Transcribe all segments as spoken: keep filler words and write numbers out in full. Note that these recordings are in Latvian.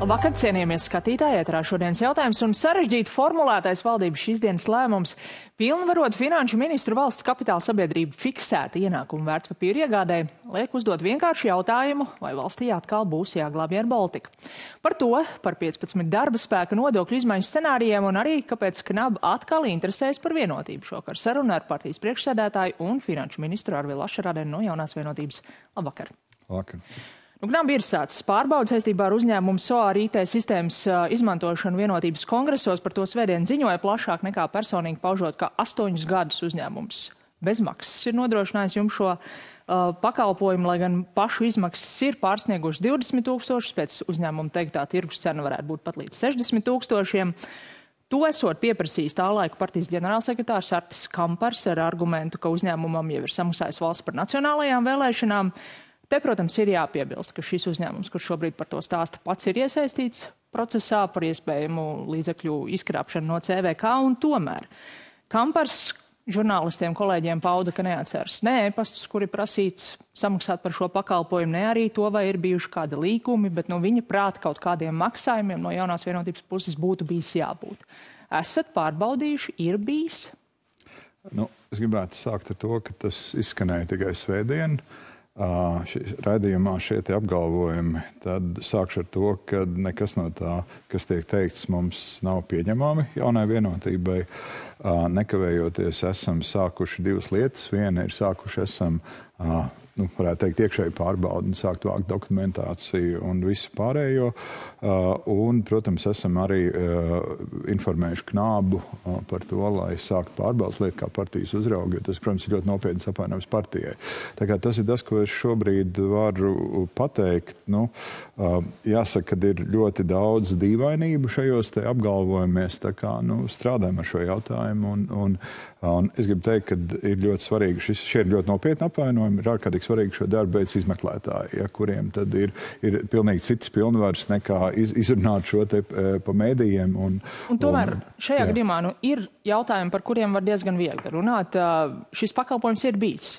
Vakar, cienījamies skatītāji, ēterā šodienas jautājums un sarežģīti formulētais valdības šīs dienas lēmums pilnvarot finanšu ministru valsts kapitāla sabiedrību fiksēta ienākumu vērtspapīru iegādē liek uzdot vienkāršu jautājumu, vai valstī atkal būs jāglābj Air Baltica. Par to, par piecpadsmit darba spēka nodokļu izmaiņu scenārijiem un arī, kāpēc Knab atkal interesēs par vienotību. Šokar saruna ar partijas priekšsēdētāju un finanšu ministru Arvilu Ašarādeni no Jaunās vienotības. Labvakar! Labvakar! Nu, Knab ir sācis pārbaudas saistībā ar uzņēmumu S O A R I T sistēmas uh, izmantošanu vienotības kongresos. Par to svētdien ziņoja plašāk nekā personīgi paužot, ka astoņus gadus uzņēmums bez maksas ir nodrošinājis jums šo uh, pakalpojumu, lai gan pašu izmaksas ir pārsniegušas divdesmit tūkstošus, pēc uzņēmuma teiktā tirgus cena varētu būt pat līdz sešdesmit tūkstošiem. To esot pieprasījis tā laika partijas ģenerālsekretārs Artis Kampars ar argumentu, ka uzņēmumam jau ir samaksājis valsts par nacionālajām vēlēšanām. Te, protams, ir jāpiebilst, ka šis uzņēmums, kurš šobrīd par to stāsta, pats ir iesaistīts procesā par iespējamu līdzekļu izkrāpšanu no C V K, un tomēr Kampars žurnālistiem, kolēģiem pauda, ka neatceras ne e-pastus, kuri prasīts samaksāt par šo pakalpojumu, ne arī to, vai ir bijuši kādi līgumi, bet no viņa prāta kaut kādiem maksājumiem no Jaunās vienotības puses būtu bijis jābūt. Esat pārbaudījuši, ir bijis? Nu, es gribētu sākt ar to, ka tas izskanēja tikai svētdien. Uh, ši, raidījumā šie tie apgalvojumi, tad sākšu ar to, ka nekas no tā, kas tiek teikts, mums nav pieņemami Jaunai vienotībai. Uh, nekavējoties esam sākuši divas lietas. Viena ir sākuši esam, uh, nu, varētu teikt, iekšēji pārbaudi un sākt vākt dokumentāciju un visu pārējo. Uh, un, protams, esam arī uh, informējuši Knabu uh, par to, lai sākt pārbaudas lietu kā partijas uzraugi, jo tas, protams, ir ļoti nopietns apvainojums partijai. Tā kā tas ir tas, ko es šobrīd varu pateikt. Nu, uh, jāsaka, ka ir ļoti daudz dīvainību šajos te apgalvojumies, tā kā, nu, strādājam ar šo jautājumu. Un, un, un es gribu teikt, ka ir ļoti svarīgi, šis, šie ir ļoti nopietni apvainojumi, ir ārkārtīgi svarīgi šo darbu veids izmeklētāji, ja, kuriem tad ir, ir pilnīgi citas pilnvaras nekā iz, izrunāt šo te pa mēdījiem. Un, un tomēr un, šajā jā. gadījumā nu, ir jautājumi, par kuriem var diezgan viegli runāt. Šis pakalpojums ir bijis.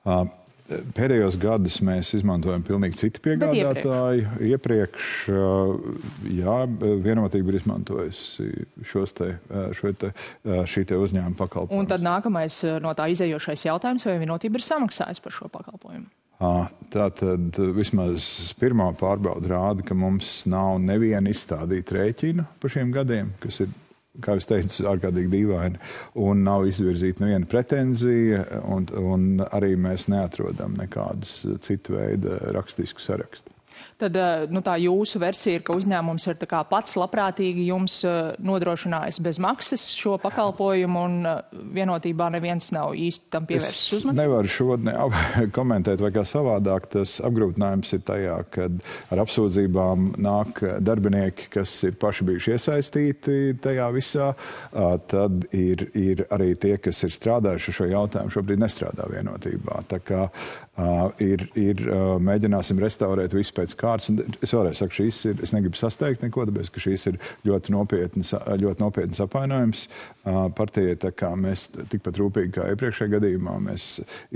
Uh, Pēdējos gadus mēs izmantojam pilnīgi citu piegādātāju. Iepriekš, jā, vienotība ir izmantojusi šos te, šo te, šī te uzņēmuma pakalpojumus. Un tad nākamais no tā izējošais jautājums, vai vienotība ir samaksājusi par šo pakalpojumu? Tātad vismaz pirmā pārbauda rāda, ka mums nav neviena izstādīta rēķina par šiem gadiem, kas ir, kā es teicu, ārkārtīgi dīvaini, un nav izvirzīta neviena pretenzija, un, un arī mēs neatrodam nekādus citu veidu rakstisku sarakstu. Tad nu, tā jūsu versija ir, ka uzņēmums ir tā kā pats labprātīgi jums nodrošinājis bez maksas šo pakalpojumu, un vienotībā neviens nav īsti tam pievērsis uzmanību? Es nevaru šodien komentēt vai kā savādāk. Tas apgrūtinājums ir tajā, kad ar apsūdzībām nāk darbinieki, kas ir paši bijuši iesaistīti tajā visā. Tad ir, ir arī tie, kas ir strādājuši šo jautājumu, šobrīd nestrādā vienotībā. Tā kā uh, ir, ir uh, mēģināsim restaurēt visu pēc kārtas. Es vēlreiz saku, šīs ir, es negribu sasteigt neko, tāpēc, ka šīs ir ļoti nopietnas, ļoti nopietnas apvainojums uh, partijai, tā kā mēs tikpat rūpīgi kā iepriekšējā gadījumā mēs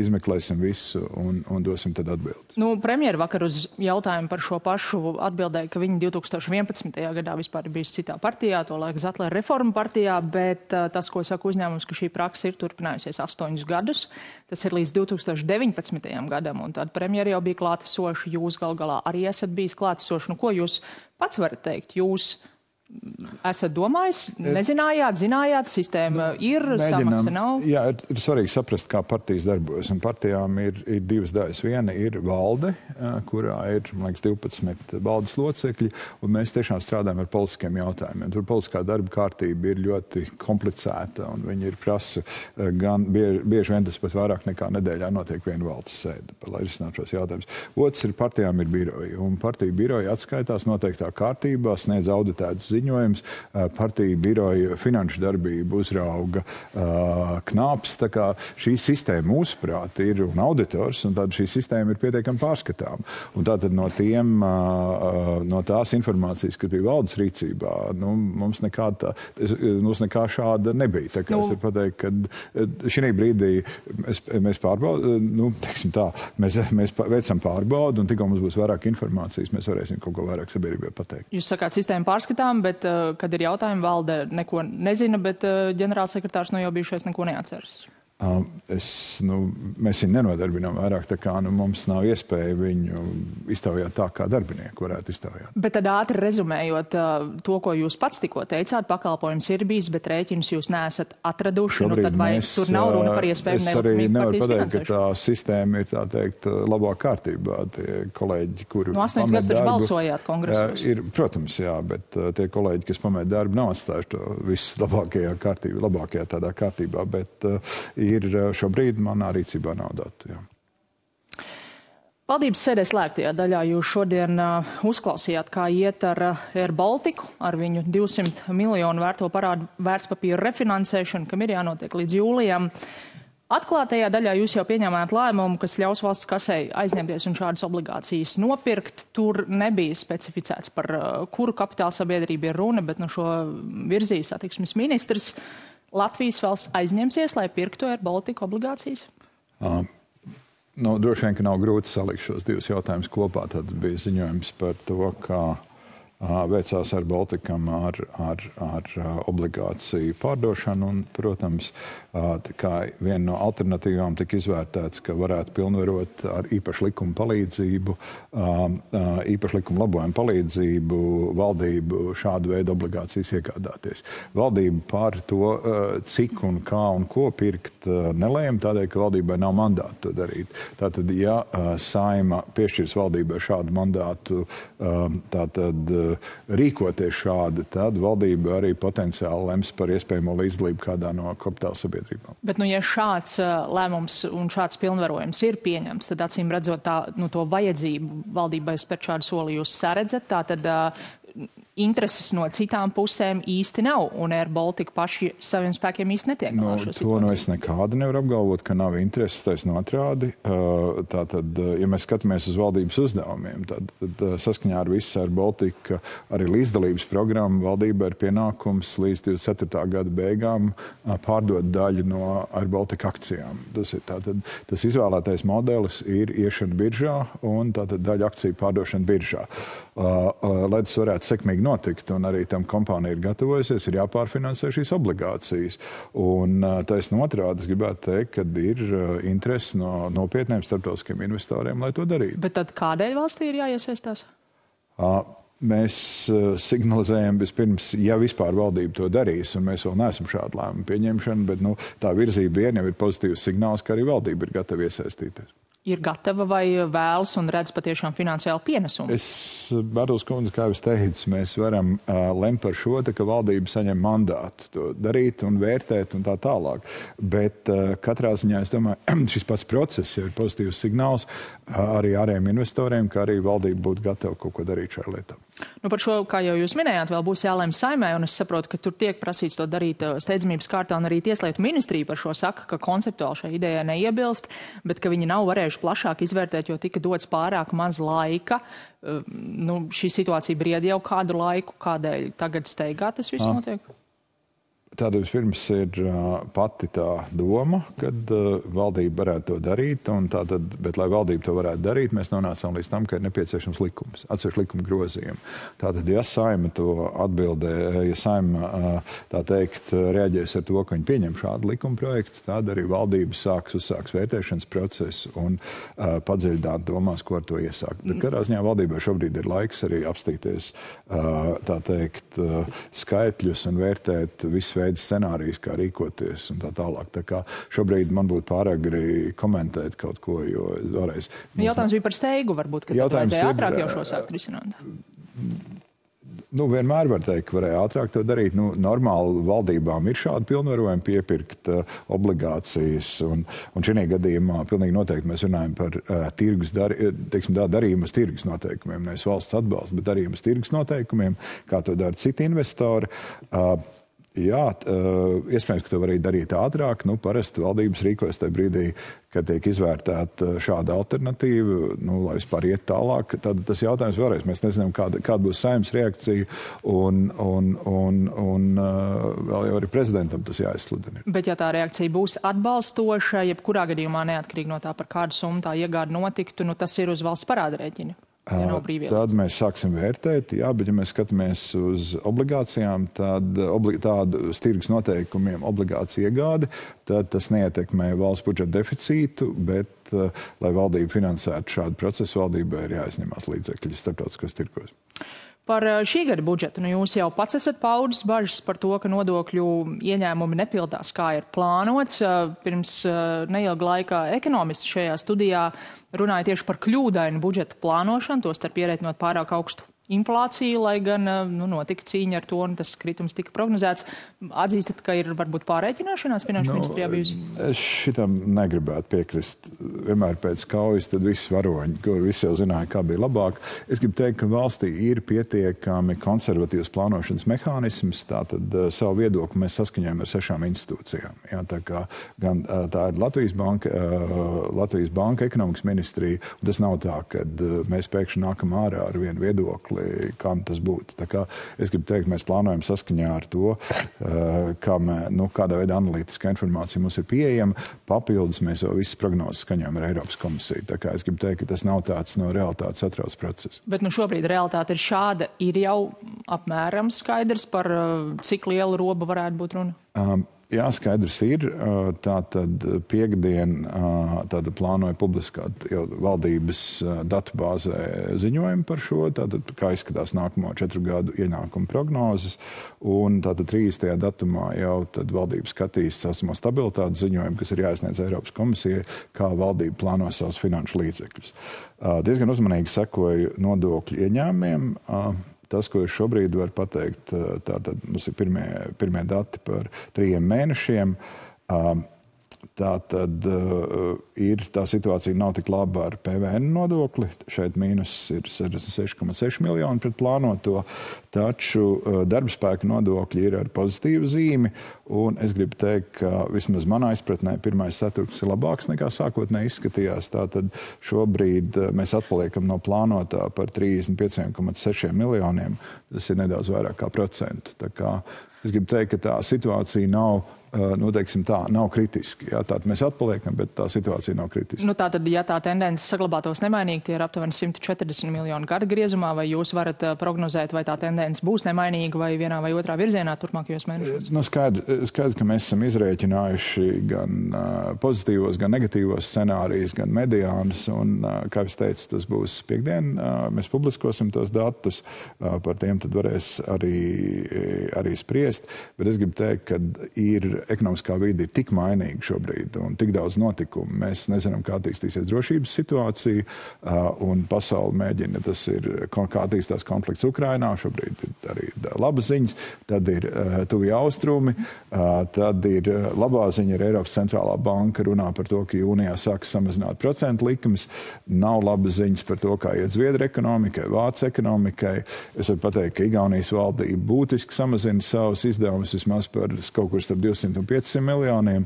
izmeklēsim visu un, un dosim tad atbildi. Nu, premjera vakar uz jautājumu par šo pašu atbildēja, ka viņi divi tūkstoši vienpadsmitajā gadā vispār ir bijusi citā partijā, to laika Zetlera reforma partijā, bet uh, tas, ko saka uzņēmums, ka šī praksa ir turpinājusies astoņus gadus, tas ir līdz divi tūkstoši deviņpadsmitajam gadam, un tad premjera jau bija klātesoši, jūs gal galā arī esat bijis klātesoši. Nu, ko jūs pats varat teikt? Jūs esat domājis, nezinājāt, zinājāt, sistēma ir, samaksa nav? Jā, ir, ir svarīgi saprast, kā partijas darbojas. Un partijām ir, ir divas daļas. Viena ir valde, kurā ir, man liekas, divpadsmit valdes locekļi, un mēs tiešām strādājam ar politiskiem jautājumiem. Tur politiskā darba kārtība ir ļoti komplicēta, un viņi ir prasa gan bieži, bieži vien tas pat vairāk nekā nedēļā notiek viena valdes sēde, lai risinātu šos jautājumus. Otrs ir partijām ir biroji, un partiju biroji atskaitās noteiktā kārtībā, sniedz auditētas ziņas, ziņojums, partiju biroja finanšu darbību uzrauga Knaps. Tā kā šī sistēma, mūsuprāt, ir un auditors, un tad šī sistēma ir pietiekami pārskatām. Un tātad no tiem, no tās informācijas, kas bija valdes rīcībā, nu, mums nekā, tā, mums nekā šāda nebija. Tā kā nu, es varu pateikt, ka šī brīdī mēs, mēs pārbaudām, nu, teiksim tā, mēs, mēs veicam pārbaudu, un tikko mums būs vairāk informācijas, mēs varēsim kaut ko vairāk sabiedrībai pateikt. Jūs sakāt, sistēma pārskatām, bet, kad ir jautājumi, valde neko nezina, bet ģenerālsekretārs no jau bijušais neko neatceras. Es, nu, mēs viņu nenodarbinām vairāk, tā kā nu, mums nav iespēja viņu iztaujāt tā, kā darbinieku varētu iztaujāt. Bet tad ātri rezumējot to, ko jūs pats tikko teicāt, pakalpojums ir bijis, bet rēķinus jūs neesat atraduši, nu tad vai mēs, tur nav runa par iespēju nelikumīgu partijas pateikt, finansēšanu? ka tā sistēma ir, tā teikt, labā kārtībā. Tie kolēģi, kuri no astoņas gadus taču balsojāt kongresos. Ir, protams, jā, bet tie kolēģi, kas pamēt darbu, nav atstājuši to viss labākajā kārtībā, labākajā tādā kārtībā, bet ir šobrīd manā rīcībā nav datu. Jā. Valdības sēdē slēgtajā daļā jūs šodien uh, uzklausījāt, kā iet ar uh, Air Baltiku, ar viņu divsimt miljonu vērto parādu vērtspapīru refinansēšanu, kam ir jānotiek līdz jūlijam. Atklātajā daļā jūs jau pieņēmāt lēmumu, kas ļaus valsts kasei aizņemties un šādas obligācijas nopirkt. Tur nebija specificēts, par uh, kuru kapitāla sabiedrību ir runa, bet no šo virzīs satiksmes ministrs. Latvijas valsts aizņemsies, lai pirktu Air Baltica obligācijas? Uh, nu, droši vien, ka nav grūti salikt šos divus jautājumus kopā. Tad bija ziņojums par to, kā uh, veicās Air Balticam ar, ar, ar uh, obligāciju pārdošanu. Un, protams, uh, kā viena no alternatīvām tika izvērtēts, ka varētu pilnvarot ar īpašu likumu palīdzību, uh, uh, īpašu likumu labojumu palīdzību valdību šādu veidu obligācijas iegādāties. Valdība par to, uh, cik un kā un ko pirkt, uh, nelēma, tādēļ, ka valdībai nav mandātu to darīt. Tātad, ja uh, Saima piešķirs valdībai šādu mandātu, uh, tātad uh, rīkoties šādi, tad valdība arī potenciāli lems par iespējamo līdzdalību kādā no kapitāla sabiedrībām. Bet, nu, ja šāds uh, lēmums un šāds pilnvarojums ir pieņemts, tad acīm redzot tā, nu, to vajadzību valdībai spērt šādu soli jūs saredzat, tā tad uh, intereses no citām pusēm īsti nav, un Air Baltica paši saviem spēkiem īsti netiek galā šo situāciju. To nu es nekādi nevaru apgalvot, ka nav intereses, taisn otrādi. Tātad, ja mēs skatāmies uz valdības uzdevumiem, tad, tad saskaņā ar visu Air Baltica arī līdzdalības programmu valdība ir pienākums līdz divdesmit ceturtā gada beigām pārdot daļu no Air Baltica akcijām. Tas ir tātad, tas izvēlētais modelis ir iešana biržā un tātad daļu akciju pārdošana biržā. Lai tas varētu sekmīgi notikt, un arī tam kompānija ir gatavojusies, ir jāpārfinansē šīs obligācijas. Un taisn otrādi es gribētu teikt, ka ir interesi no nopietniem starptautiskiem investoriem, lai to darītu. Bet tad kādēļ valstī ir jāiesaistās? Mēs signalizējam vispirms, ja vispār valdība to darīs, un mēs vēl neesam šādu lēmumu pieņemšanu, bet nu, tā virzība vien jau ir pozitīvs signāls, ka arī valdība ir gatava iesaistīties. Ir gatava vai vēlas un redz patiešām finansiālu pienesumu? Es, Bērtls kundze, kā jūs teicu, mēs varam uh, lemt par šo, te, ka valdība saņem mandātu to darīt un vērtēt un tā tālāk. Bet uh, katrā ziņā, es domāju, šis pats process jau ir pozitīvs signāls uh, arī ārējiem investoriem, ka arī valdība būtu gatava kaut ko darīt šajā lietā. Nu, par šo, kā jau jūs minējāt, vēl būs jālēm Saimē, un es saprotu, ka tur tiek prasīts to darīt steidzamības kārtā, un arī Tieslietu ministrija par šo saka, ka konceptuāli šai idejai neiebilst, bet ka viņi nav varējuši plašāk izvērtēt, jo tika dots pārāk maz laika. Nu, šī situācija bried jau kādu laiku, kādēļ tagad steigā tas viss notiek? Tāda vispirms ir uh, pati tā doma, kad uh, valdība varētu to darīt, un tātad, bet, lai valdība to varētu darīt, mēs nonācām līdz tam, ka ir nepieciešams likums, atsevišķi likuma grozījumi. Tātad, ja Saima to atbildē, ja Saima, uh, tā teikt, reaģēs ar to, ka viņi pieņem šādu likuma projektu, tad arī valdība sāks uzsāks vērtēšanas procesu un uh, padziļināt domās, ko ar to iesākt. Bet katrā ziņā valdībai šobrīd ir laiks arī apstīties, uh, tā teikt, uh, skaitļus un vērtēt visu veidu scenārijus, kā rīkoties un tā tālāk. Tā kā šobrīd man būtu pāragri komentēt kaut ko, jo vēlreiz... Jautājums bija par steigu, varbūt, ka tad vajadzēja ātrāk jau šo sākt risināt. Nu, vienmēr var teikt, ka varēja ātrāk to darīt. Nu, normāli valdībām ir šādi pilnvarojumi piepirkt uh, obligācijas. Un, un šajā gadījumā pilnīgi noteikti mēs runājam par uh, tirgus dar, teiksim, tā, darījumus tirgus noteikumiem. Nevis valsts atbalsts, bet darījumus tirgus noteikumiem, kā to dara citi investori. Uh, Jā, iespējams, ka to var arī darīt ātrāk. Nu, parasti valdības rīkojas tajā brīdī, kad tiek izvērtēta šāda alternatīva, nu, lai vispār iet tālāk. Tad tas jautājums vēlreiz. Mēs nezinām, kāda, kāda būs Saeimas reakcija, un, un, un, un vēl jau arī prezidentam tas jāizsludina. Bet ja tā reakcija būs atbalstoša, jebkurā gadījumā neatkarīgi no tā, par kādu summu tā iegāde notiktu, nu, tas ir uz valsts parāda rēķina. Ja tad mēs sāksim vērtēt, jā, bet ja mēs skatāmies uz obligācijām, tad obli, tādu tirgus noteikumiem obligācija iegāde, tad tas neietekmē valsts budžeta deficītu, bet, uh, lai valdība finansētu šādu procesu, valdībai ir jāizņemās līdzekļi starptautiskos tirgos. Par šī gada budžetu, nu jūs jau pats esat paudis bažas par to, ka nodokļu ieņēmumi nepildās, kā ir plānots. Pirms neilga laika ekonomisti šajā studijā runāja tieši par kļūdainu budžeta plānošanu, tostarp ierēķinot pārāk augstu inflāciju, lai gan nu, notika cīņa ar to, un tas kritums tika prognozēts. Atzīstat, ka ir varbūt pārreķināšanās finanšu nu, ministrijā bijusi? Es šitam negribētu piekrist. Vienmēr pēc kaujas tad visi varoņi, kur visi jau zināja, kā bija labāk. Es gribu teikt, ka valstī ir pietiekami konservatīvs plānošanas mehānisms, tātad uh, savu viedokli mēs saskaņojam ar sešām institūcijām. Jā, tā kā gan uh, tā ir Latvijas banka, uh, Latvijas banka ekonomikas ministrija, un tas nav tā, kad uh, mēs pēkšņi nākam ārā ar vienu viedokli, kā tas būtu. Tā kā es gribu teikt, mēs plānojam saskaņā ar to, kā mē, nu, kādā veidā analītiskā informācija mums ir pieejama. Papildus mēs jau visas prognozes skaņojam ar Eiropas komisiju. Tā kā es gribu teikt, ka tas nav tāds no realitātes atrauc process. Bet nu šobrīd realitāte ir šāda. Ir jau apmēram skaidrs, par cik lielu robu varētu būt runa? Um, Jā, skaidrs ir. Tātad piekdien tātad plānoja publiskāt jau valdības datubāzē ziņojumu par šo, tātad kā izskatās nākamo četru gadu ienākumu prognozes. Un tātad trīsdesmitajā datumā jau tad valdība skatīs esamo stabilitātes ziņojumu, kas ir jāizsniedz Eiropas komisijai, kā valdība plāno savus finanšu līdzekļus. Diezgan uzmanīgi sekoju nodokļu ieņēmumiem. Tas, ko es šobrīd varu pateikt, tātad mums ir pirmie, pirmie dati par trījiem mēnešiem. Tātad ir, tā situācija nav tik laba ar P V N nodokli. Šeit mīnus ir sešdesmit seši komats seši miljoni pret plānoto, taču darbspēka nodokļi ir ar pozitīvu zīmi. Un es gribu teikt, ka vismaz manā izpratnē pirmais ceturksnis ir labāks nekā sākotnēji izskatījās. Tātad šobrīd mēs atpaliekam no plānotā par trīsdesmit pieci komats seši miljoniem. Tas ir nedaudz vairāk kā procentu. Tā kā es gribu teikt, ka tā situācija nav nu, teiksim tā, nav kritiski. Jā, tātad mēs atpaliekam, bet tā situācija nav kritiska. Nu, tātad, ja tā tendence saglabātos nemainīgi, tie ir aptuveni simt četrdesmit miljoni gada griezumā, vai jūs varat prognozēt, vai tā tendence būs nemainīga vai vienā vai otrā virzienā turpmākajos mēnešos? Nu, skaidrs, skaidrs, ka mēs esam izrēķinājuši gan uh, pozitīvos, gan negatīvos scenārijus, gan mediānus, un, uh, kā es teicu, tas būs piekdien. Uh, mēs publiskosim tos datus, uh, par tiem tad varēs arī, arī spriest, bet es gribu teikt, ka ir ekonomiskā vide ir tik mainīga šobrīd un tik daudz notikumu. Mēs nezinām, kā attīstīsies drošības situācija, un pasauli mēģina, tas ir, kā attīstās konflikts Ukrainā, šobrīd ir arī labas ziņas, tad ir tuvie austrumi, tad ir labā ziņa, ir Eiropas centrālā banka runā par to, ka jūnijā sāks samazināt procentu likumus, nav labas ziņas par to, kā iet Zviedru ekonomikai, Vācu ekonomikai. Es varu pateikt, ka Igaunijas valdība būtiski samazina savus izdevumus vismaz par kaut kur starp divsimt un piecsimt miljoniem,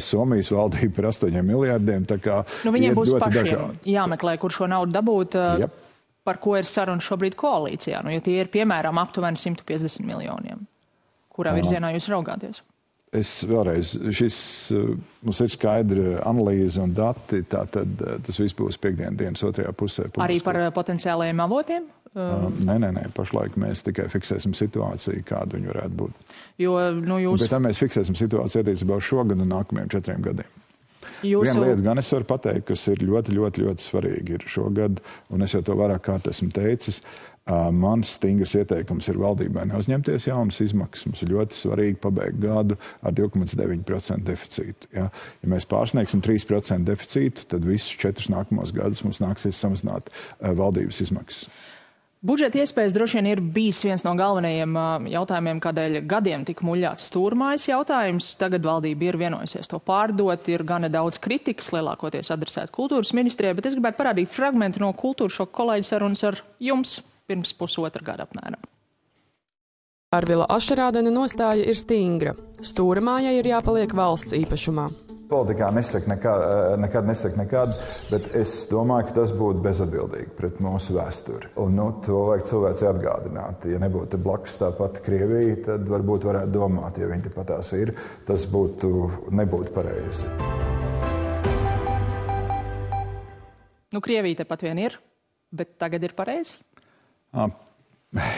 Somijas valdība par astoņiem miljārdiem. Tā kā nu, viņiem būs pašiem dažādi. Jāmeklē, kur šo naudu dabūt, yep. Par ko ir saruna šobrīd koalīcijā. Nu, ja tie ir, piemēram, aptuveni simt piecdesmit miljoniem, kurā virzienā jūs raugāties? Es vēlreiz, šis mums ir skaidra analīze un dati, tātad tas viss būs piekdien dienas otrajā pusē. Publisko. Arī par potenciālajiem avotiem? Uh, nē, nē, nē, pašlaik mēs tikai fiksēsim situāciju, kāda viņa varētu būt. Jo, nu, jūs... Bet tā mēs fiksēsim situāciju attiecībā uz šo gadu un nākamajiem četriem gadiem. Jūsu... Viena lieta gan es varu pateikt, kas ir ļoti, ļoti, ļoti svarīgi ir šogad, un es jau to vairāk kārt esmu teicis. Uh, mans stingrs ieteikums ir valdībai neuzņemties jaunas izmaksas. Mums ir ļoti svarīgi pabeigt gadu ar divi komats deviņi procenti deficītu. Ja? Ja mēs pārsniegsim trīs procenti deficītu, tad visus četrus nākamos gadus mums nāksies samazināt uh, valdības izmaksas. Budžeta iespējas droši vien ir bijis viens no galvenajiem jautājumiem, kādēļ gadiem tika muļāts stūrmājas jautājums. Tagad valdība ir vienojusies to pārdot, ir gana daudz kritikas, lielākoties adresēt kultūras ministrijai, bet es gribētu parādīt fragmentu no kultūras šoka kolēģi sarunas ar jums pirms pusotra gada apmēram. Arvila Ašerādena nostāja ir stingra. Stūrmājai ir jāpaliek valsts īpašumā. Politikā nesaka nekad, nekad nesaka nekad, bet es domāju, ka tas būtu bezatbildīgi pret mūsu vēsturi. Un nu, to vajag cilvēci atgādināt. Ja nebūtu blakus tāpat Krievija, tad varbūt varētu domāt, ja viņi tepat tās ir, tas būtu, nebūtu pareizi. Nu, Krievija tepat vien ir, bet tagad ir pareizi? À.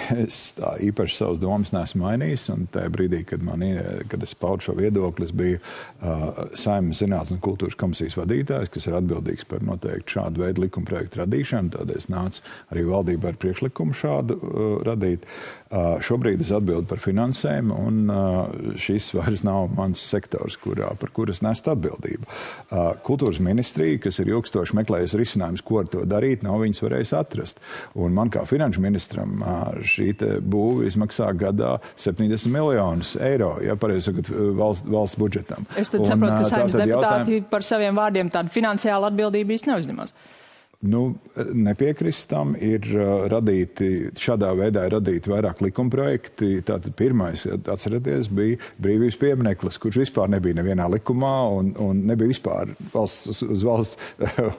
Es tā īpaši savas domas neesmu mainījis, un tajā brīdī, kad, man, kad es paudu šo viedokli, es biju uh, Saeimas zinātnes un kultūras komisijas vadītājs, kas ir atbildīgs par noteikti šādu veidu likumprojektu radīšanu. Tādēļ es nācu arī valdībā ar priekšlikumu šādu uh, radīt. Uh, šobrīd es atbildu par finansēm, un uh, šis vairs nav mans sektors, kurā, par kuras nest atbildību. Uh, kultūras ministrija, kas ir ilgstoši meklējusi risinājums, ko ar to darīt, nav viņas varējis atrast. Un man kā finanšu ministram uh, šī būve izmaksā gadā septiņdesmit miljonus eiro, ja pareizi sakot, valsts, valsts budžetam. Es tad saprotu, ka Saeimas deputāti jautājum... par saviem vārdiem tādu finansiālu atbildību īsti neuzņemas. Nu, nepiekrist tam ir radīti, šādā veidā ir radīti vairāk likumprojekti. Tātad pirmais, atcerieties, bija brīvības piemineklis, kurš vispār nebija nevienā likumā un, un nebija vispār valsts, uz valsts,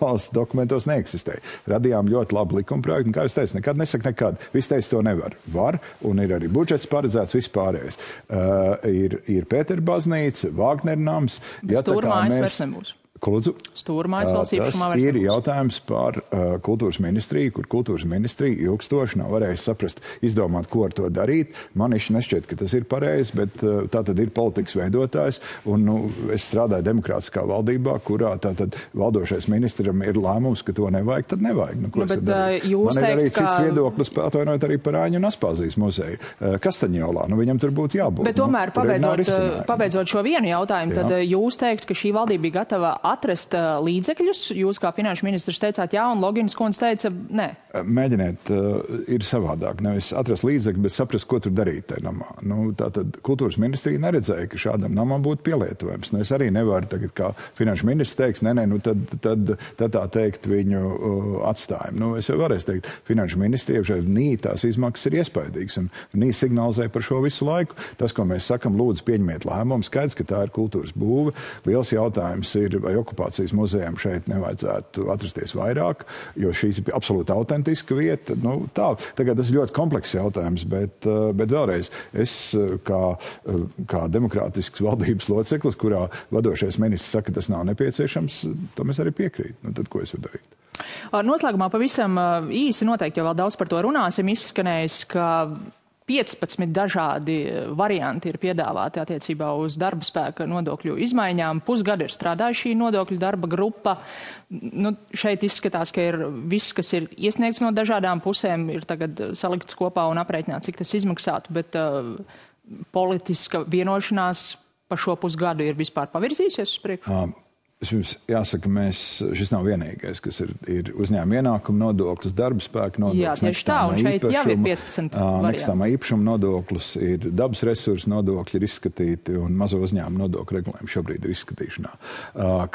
valsts dokumentos neeksistēja. Radījām ļoti labu likumprojektu, un kā jūs teicat, nekad nesaka nekad. Viss teica, to nevar. Var, un ir arī budžets paredzēts vispārējais. Uh, ir, ir Pētera baznīca, Vāgner nams. Bet ja, stūrmājas vairs nebūs. Lūdzu, Stūrmājas valsts īpašumā vairs ir jautājums par uh, kultūras ministriju, kur kultūras ministrija ilgstoši nav varējusi saprast, izdomāt, ko ar to darīt. Man īsti nešķiet, ka tas ir pareizi, bet uh, tā tad ir politikas veidotājs, un nu, es strādāju demokrātiskā valdībā, kurā tā tad valdošais ministram ir lēmums, ka to nevajag, tad nevajag. Nu, ko nu, bet, uh, Man ir arī ka... cits viedoklis, atvainojot arī par Āņu un Aspāzijas muzeju. Uh, Kastaņolā, nu viņam tur būtu jābūt. Bet tomēr, nu, pabeidzot, pabeidzot šo vienu jautājumu, Jā. tad jūs teikt, ka šī valdība bija gatava atrast uh, līdzekļus. Jūs kā finanšu ministrs teicāt jā, un Logins kundze teica nē. Mēģiniet, uh, ir savādāk. Nevis atrast līdzekļus, bet saprast, ko tur darīt tajā namā. Nu, tātad kultūras ministrija neredzēja, ka šādam namam būtu pielietojums. Nu, es arī nevaru tagad, kā finanšu ministrs teiks, nē, nē, nu tad, tad, tad tā teikt viņu uh, atstājam. Nu, es jau varēju teikt, finanšu ministrija šeit nī tās izmaksas ir iespaidīgas, un nī signalizē par šo visu laiku. Tas, ko mēs sakam, lūdzu pieņemiet lēmumu, skaidrs, ka tā ir kultūras būve. Liels jautājums ir, vai okupācijas muzejam šeit nevajadzētu atrasties vairāk, jo šīs ir absolūti autentiska vieta. Nu, tā, tagad tas ir ļoti komplekss jautājums, bet, bet vēlreiz es kā, kā demokrātisks valdības loceklis, kurā vadošais ministrs saka, ka tas nav nepieciešams, tam es arī piekrītu. Nu, tad ko es varu darīt? Noslēgumā pavisam īsi noteikti, jo vēl daudz par to runāsim, izskanējis, ka piecpadsmit dažādi varianti ir piedāvāti attiecībā uz darba spēka nodokļu izmaiņām. Pusgadu ir strādājusi šī nodokļu darba grupa. Nu, šeit izskatās, ka ir viss, kas ir iesniegts no dažādām pusēm, ir tagad salikts kopā un aprēķināts, cik tas izmaksātu, bet uh, politiska vienošanās par šo pusgadu ir vispār pavirzījusies uz priekšu? Um. Es jums jāsaka, mēs, šis nav vienīgais, kas ir, ir uzņēmuma ienākuma nodoklis, darba spēka nodoklis. Jā, tieši tā, un šeit jau ir piecpadsmit varianti. Nekustamā īpašuma nodoklis, ir dabas resursu nodokļi ir izskatīti, un mazo uzņēmumu nodokļu regulējumi šobrīd ir izskatīšanā.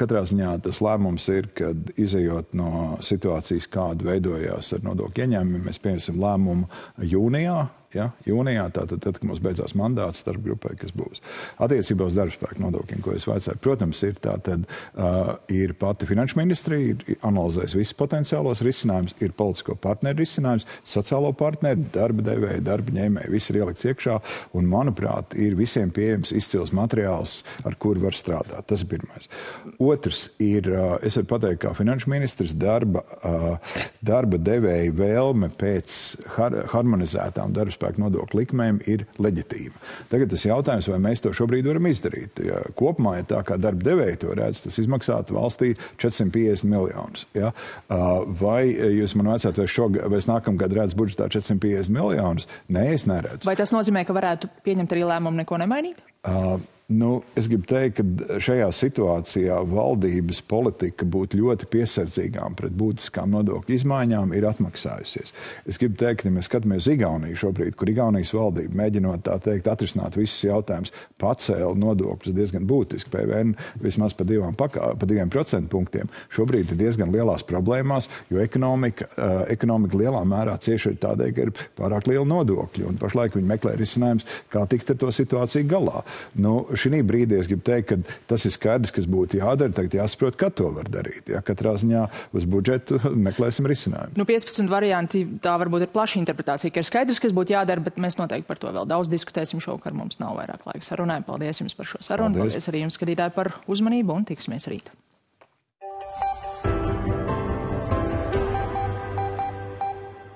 Katrā ziņā tas lēmums ir, kad izejot no situācijas, kāda veidojās ar nodokļu ieņēmumiem, mēs pieņemsim lēmumu jūnijā. Ja, jūnijā, tātad, tad, kad mums beidzās mandāts starp grupai, kas būs. Attiecībā uz darbspēku nodokļiem, ko es vaicāju, protams, ir tātad, uh, ir pati finanšu ministrija, ir analizējis visus potenciālos risinājumus, ir politisko partneru risinājums, sociālo partneru, darba devēju, darba ņēmēju, viss ir ielikts iekšā, un, manuprāt, ir visiem pieejams izcils materiāls, ar kuru var strādāt. Tas ir pirmais. Otrs ir, uh, es varu pateikt, kā finanšu ministrs, darba, uh, darba devēju vēlme pēc har harmonizētām darbspēku nodokļu likmēm ir leģitīma. Tagad tas jautājums, vai mēs to šobrīd varam izdarīt. Ja kopumā, ja tā kā darba devēji to redz, tas izmaksātu valstī četrsimt piecdesmit miljonus. Ja? Vai jūs man vajadzētu, vai, šog, vai es nākamgad redzu budžetā četrsimt piecdesmit miljonus? Nē, es neredzu. Vai tas nozīmē, ka varētu pieņemt arī lēmumu neko nemainīt? Uh, Nu, es gribu teikt, ka šajā situācijā valdības politika būt ļoti piesardzīgām pret būtiskām nodokļu izmaiņām ir atmaksājusies. Es gribu teikt, ka ja mēs skatāmies Igauniju šobrīd, kur Igaunijas valdība mēģinot tā teikt atrisināt visus jautājumus, pacēla nodokļus diezgan būtiski, P V N vismaz pa, divām, pa diviem procentu punktiem. Šobrīd ir diezgan lielās problēmās, jo ekonomika, uh, ekonomika lielā mērā cieši ir tādēļ, ka ir pārāk liela nodokļa, un pašlaik viņi meklē risinājums, kā tikt ar to situāciju galā. Nu, šī brīdī es gribu teikt, ka tas ir skaidrs, kas būtu jādara, tagad jāsaprot, kā to var darīt. Ja? Katrā ziņā uz budžetu meklēsim risinājumu. Nu, piecpadsmit varianti, tā varbūt ir plaša interpretācija, ka ir skaidrs, kas būtu jādara, bet mēs noteikti par to vēl daudz diskutēsim šovakar. Mums nav vairāk laika sarunai. Paldies jums par šo sarunu. Paldies, Paldies arī jums, skatītāji, par uzmanību un tiksimies rīt.